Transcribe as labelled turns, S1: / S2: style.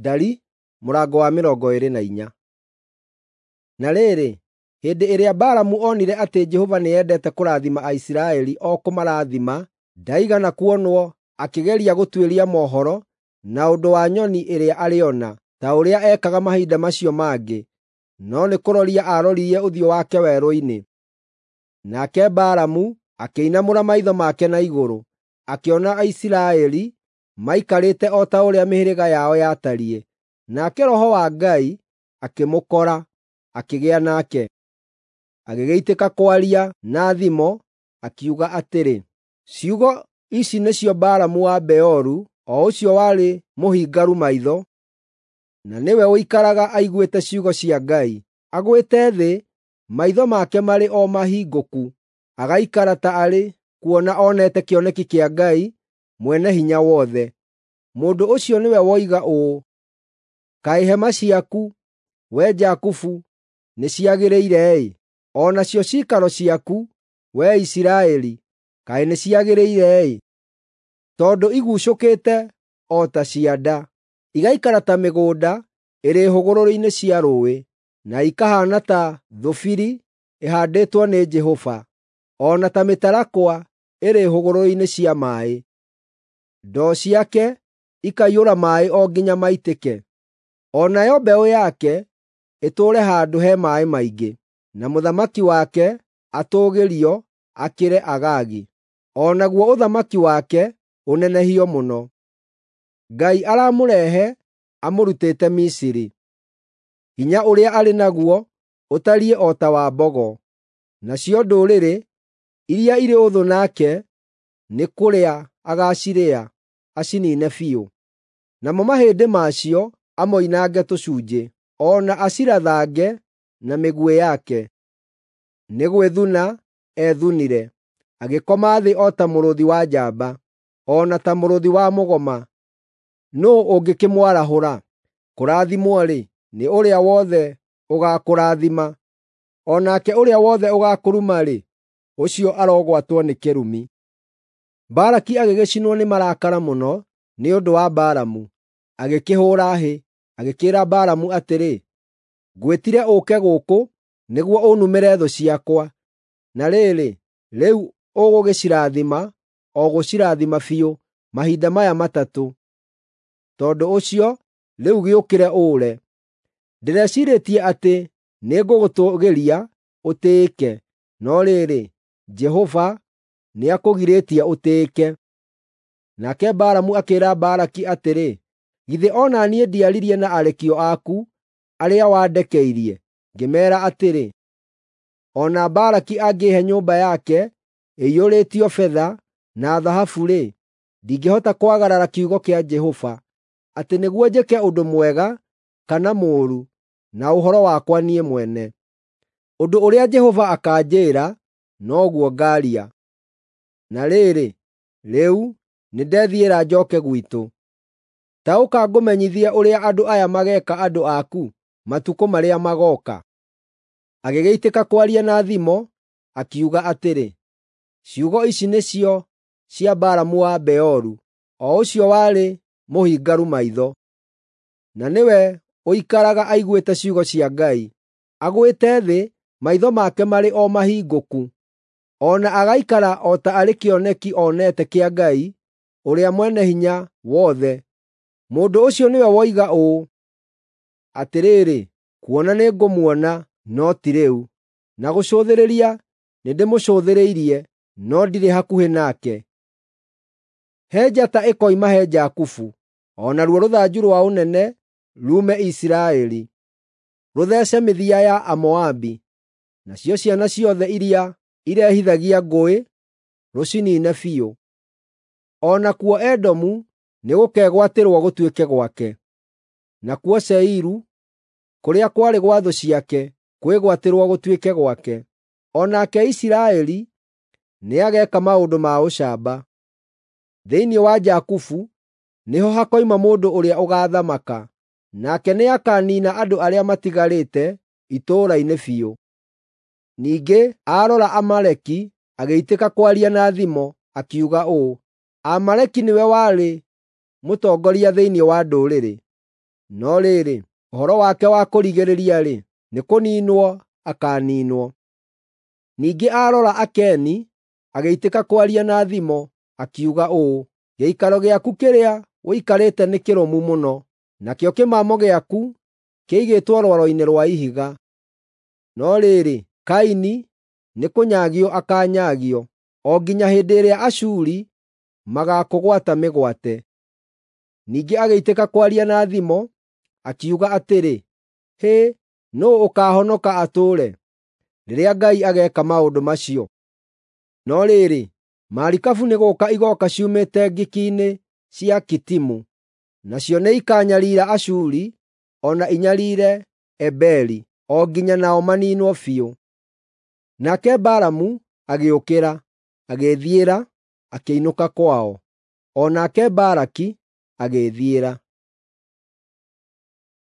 S1: Ndari mũrango wa 24. Na rĩrĩ, hĩndĩ ĩrĩa Balamu onire atĩ Jehova nĩendete kũrathima Aisiraeli o kũmarathima, ndaigana kuonwo akĩgeria gũtuĩria mohoro na ũndũ wa nyoni ĩrĩa arĩona, ta ũrĩa ekaga mahinda macio mangĩ, no nĩ kũroria aaroririe ũthiũ wake werũ-inĩ. Nake Balamu akĩinamũra maitho make na igũrũ, akĩona Aisiraeli maikarĩte o ta ũrĩa mĩhĩrĩga yao yatariĩ. Nake Roho wa Ngai akĩmũkora, akĩgĩa nake. Agĩgĩitĩka kwaria na thimo, akiuga atĩrĩ, “Ciugo ici nĩcio Balamu wa Beoru, o ũcio warĩ mũhingaru maitho, na nĩwe ũikaraga aiguĩte ciugo cia Ngai. Agwĩte thĩ, maitho make marĩ o mahingũku, agaikara ta arĩ kuona onete kĩoneki kĩa Ngai Mwene-Hinya-Wothe. Mũndũ ũcio nĩwe woiga ũũ: ‘Kaĩ hema ciaku, wee Jakubu, nĩciagĩrĩire-ĩ! O nacio ciikaro ciaku, wee Isiraeli, kaĩ nĩciagĩrĩire-ĩ! Tondũ iguucũkĩte o ta cianda, igaikara ta mĩgũnda ĩrĩ hũgũrũrũ-inĩ cia rũũĩ, na ikahaana ta thũbiri ĩhaandĩtwo nĩ Jehova, o na ta mĩtarakwa ĩrĩ hũgũrũrũ-inĩ cia maaĩ. Ndoo ciake ikaiyũra maaĩ o nginya maitĩke. O nayo mbeũ yake ĩtũũre handũ he maaĩ maingĩ, na mũthamaki wake atũũgĩrio akĩre Agagi, o naguo ũthamaki wake ũnenehio mũno. Ngai aramũrehe amũrutĩte Misiri. Hinya ũrĩa arĩ naguo ũtariĩ o ta wa mbogo, nacio ndũrĩrĩ iria irĩ ũthũ nake nĩ kũrĩa agaacirĩa, aciniine biũ. Namo mahĩndĩ macio amoinange tũcunjĩ, o na acirathange na mĩguĩ yake. Nĩ gwĩthuna ethunire, agĩkoma thĩ o ta mũrũũthi wa njamba, o na ta mũrũũthi wa mũgoma. Nũũ ũngĩkĩmwarahũra? Kũrathimwo-rĩ, nĩ ũrĩa wothe ũgaakũrathima, o nake ũrĩa wothe ũgaakũruma-rĩ, ũcio arogwatwo nĩ kĩrumi.” Balaki agĩgĩcinwo nĩ marakara mũno nĩ ũndũ wa Balamu, agĩkĩhũũra hĩ, agĩkĩĩra Balamu atĩrĩ, “Ngwĩtire ũũke gũkũ nĩguo ũnumĩre thũ ciakwa, na rĩrĩ, rĩu ũgũgĩcirathima o gũcirathima biũ mahinda maya matatũ. Tondũ ũcio rĩu gĩũkĩre ũũre. Ndĩreciirĩtie atĩ nĩngũgũtũũgĩria ũtĩĩke, no rĩrĩ, Jehova nĩakũgirĩtie ũtĩĩke.” Nake Balamu akĩĩra Balaki atĩrĩ, “Githĩ o na niĩ ndiaririe na arekio aku arĩa wandekeirie, ngĩmeera atĩrĩ, ‘O na Balaki angĩĩhe nyũmba yake ĩiyũrĩtio betha na thahabu-rĩ, ndingĩhota kwagarara kiugo kĩa Jehova, atĩ nĩguo njĩke ũndũ mwega kana mũũru na ũhoro wakwa niĩ mwene. Ũndũ ũrĩa Jehova akaanjĩĩra, noguo ngaaria.’ Na rĩrĩ, rĩu nĩndethiĩra njooke gwitũ. Ta ũka ngũmenyithie ũrĩa andũ aya mageeka andũ aku matukũ marĩa magooka.” Agĩgĩitĩka kwaria na thimo, akiuga atĩrĩ, “Ciugo ici nĩcio cia Balamu wa Beoru, o ũcio warĩ mũhingaru maitho, na nĩwe ũikaraga aiguĩte ciugo cia Ngai. Agwĩte thĩ, maitho make marĩ o mahingũku, o na agaikara o ta arĩ kĩoneki onete kĩa Ngai ũrĩa Mwene-Hinya-Wothe. Mũndũ ũcio nĩwe woiga ũũ: ‘Atĩrĩrĩ, kuona nĩngũmuona, no ti rĩu, na gũcũthĩrĩria nĩndĩmũcũthĩrĩirie, no ndirĩ hakuhĩ nake. He njata ĩkoima he Jakubu, o naruo rũthanju rwa ũnene ruume Isiraeli, rũtheece mĩthia ya Amoabi, nacio ciana ciothe iria irehithagia ngũĩ rũciniine biũ. O nakuo Edomu nĩgũkegwatĩrwo gũtuĩke gwake, nakuo Seiru, kũrĩa kwarĩ gwa thũ ciake, kwĩgwatĩrwo gũtuĩke gwake. O nake Isiraeli nĩageeka maũndũ ma ũcamba. Thĩinĩ wa Jakubu nĩho hakoima mũndũ ũrĩa ũgaathamaka, nake nĩakaniina andũ arĩa matigarĩte itũũra-inĩ biũ.” Ningĩ aarora Amaleki, agĩitĩka kwaria na thimo, akiuga ũũ: “Amaleki nĩwe warĩ mũtongoria thĩinĩ wa ndũrĩrĩ, No rĩrĩ, ũhoro wake wa kũrigĩrĩria-rĩ, nĩ kũninwo akaniinwo. Ningĩ aarora Akeni, agĩitĩka kwaria na thimo, akiuga ũũ: “Gĩikaro gĩaku kĩrĩa ũikarĩte nĩ kĩrũmu mũno, nakĩo kĩmamo gĩaku kĩigĩtwo rwaro-inĩ rwa ihiga. No rĩrĩ, Kaini nĩkũnyaagio akaanyaagio, o nginya hĩndĩ ĩrĩa Ashuri magaakũgwata mĩgwate.” Ningĩ agĩitĩka kwaria na thimo, akiuga atĩrĩ, “Hĩ, nũũ ũkaahonoka atũũre, rĩrĩa Ngai ageeka maũndũ macio?” No rĩrĩ, marikabu nĩ gũũka igooka ciumĩte ngiki-inĩ cia Kitimu, nacio nĩikanyariira Ashuri o na inyariire Eberi, o nginya nao maniinwo biũ. Nake Balamu agĩũkĩra, agĩĩthiĩra, akĩinũka kwao. O nake Balaki agĩĩthiĩra.